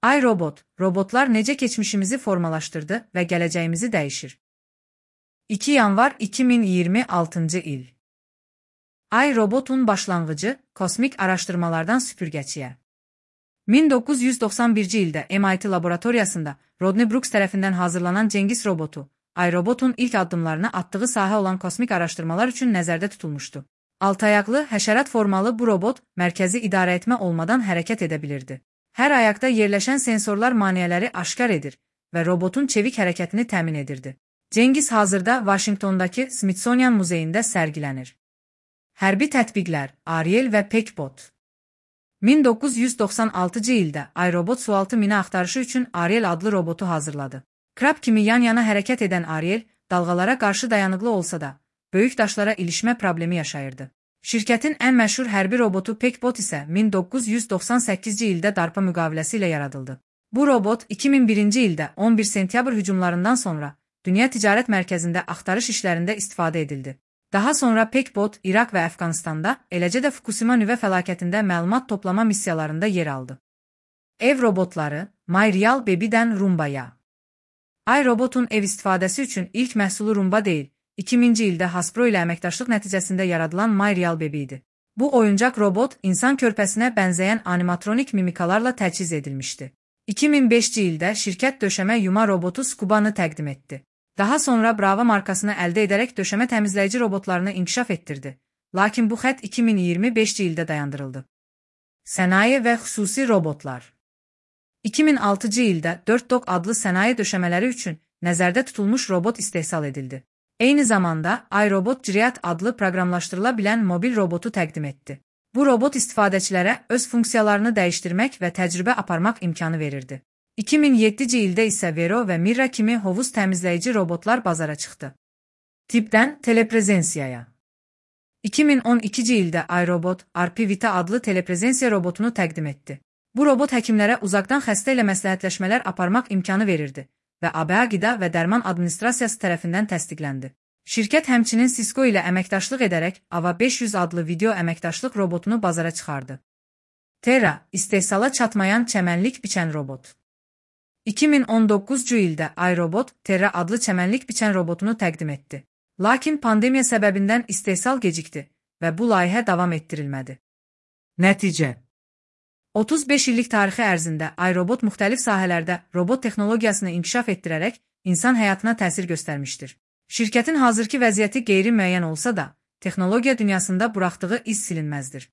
iRobot, robotlar necə keçmişimizi formalaşdırdı və gələcəyimizi dəyişir. 2 yanvar 2026 il. iRobotun başlanğıcı kosmik araşdırmalardan süpürgəçiyə. 1991-ci ildə MIT laboratoriyasında Rodney Brooks tərəfindən hazırlanan Cengiz robotu, iRobotun ilk addımlarını atdığı sahə olan kosmik araşdırmalar üçün nəzərdə tutulmuşdu. Altayaqlı, həşərat formalı bu robot mərkəzi idarəetmə olmadan hərəkət edə bilirdi. Hər ayaqda yerləşən sensorlar maneələri aşkar edir və robotun çevik hərəkətini təmin edirdi. Cengiz hazırda Vaşinqtondakı Smithsonian muzeyində sərgilənir. Hərbi tətbiqlər, Ariel və Peckbot. 1996-cı ildə iRobot sualtı mina axtarışı üçün Ariel adlı robotu hazırladı. Krab kimi yan-yana hərəkət edən Ariel, dalğalara qarşı dayanıqlı olsa da, böyük daşlara ilişmə problemi yaşayırdı. Şirkətin ən məşhur hərbi robotu Peckbot isə 1998-ci ildə DARPA müqaviləsi ilə yaradıldı. Bu robot 2001-ci ildə 11 sentyabr hücumlarından sonra Dünya Ticarət Mərkəzində axtarış işlərində istifadə edildi. Daha sonra Peckbot İraq və Əfqanistanda, eləcə də Fukushima nüvə fəlakətində məlumat toplama missiyalarında yer aldı. Ev robotları, MyReal Baby'dən Rumba'ya. iRobotun ev istifadəsi üçün ilk məhsulu Rumba deyil, 2000-ci ildə Hasbro ilə əməkdaşlıq nəticəsində yaradılan MyReal Baby idi. Bu oyuncaq robot insan körpəsinə bənzəyən animatronik mimikalarla təchiz edilmişdi. 2005-ci ildə şirkət döşəmə yuma robotu Scuba'nı təqdim etdi. Daha sonra Brava markasını əldə edərək döşəmə təmizləyici robotlarını inkişaf etdirdi. Lakin bu xətt 2025-ci ildə dayandırıldı. Sənaye və xüsusi robotlar. 2006-cı ildə 4Dog adlı sənaye döşəmələri üçün nəzərdə tutulmuş robot istehsal edildi. Eyni zamanda iRobot Ciriat adlı proqramlaşdırıla bilən mobil robotu təqdim etdi. Bu robot istifadəçilərə öz funksiyalarını dəyişdirmək və təcrübə aparmaq imkanı verirdi. 2007-ci ildə isə Vero və Mira kimi hovuz təmizləyici robotlar bazara çıxdı. Tipdən teleprezensiyaya. 2012-ci ildə iRobot RP-Vita adlı teleprezensiya robotunu təqdim etdi. Bu robot həkimlərə uzaqdan xəstə ilə məsləhətləşmələr aparmaq imkanı verirdi və ABA Qida və Dərman Administrasiyası tərəfindən təsdiqləndi. Şirkət həmçinin Cisco ilə əməkdaşlıq edərək AVA 500 adlı video əməkdaşlıq robotunu bazara çıxardı. Terra, istehsala çatmayan çəmənlik biçən robot. 2019-cu ildə iRobot Terra adlı çəmənlik biçən robotunu təqdim etdi. Lakin pandemiya səbəbindən istehsal gecikdi və bu layihə davam etdirilmədi. Nəticə. 35 illik tarixi ərzində iRobot müxtəlif sahələrdə robot texnologiyasını inkişaf etdirərək insan həyatına təsir göstərmişdir. Şirkətin hazırki vəziyyəti qeyri-müəyyən olsa da, texnologiya dünyasında buraxdığı iz silinməzdir.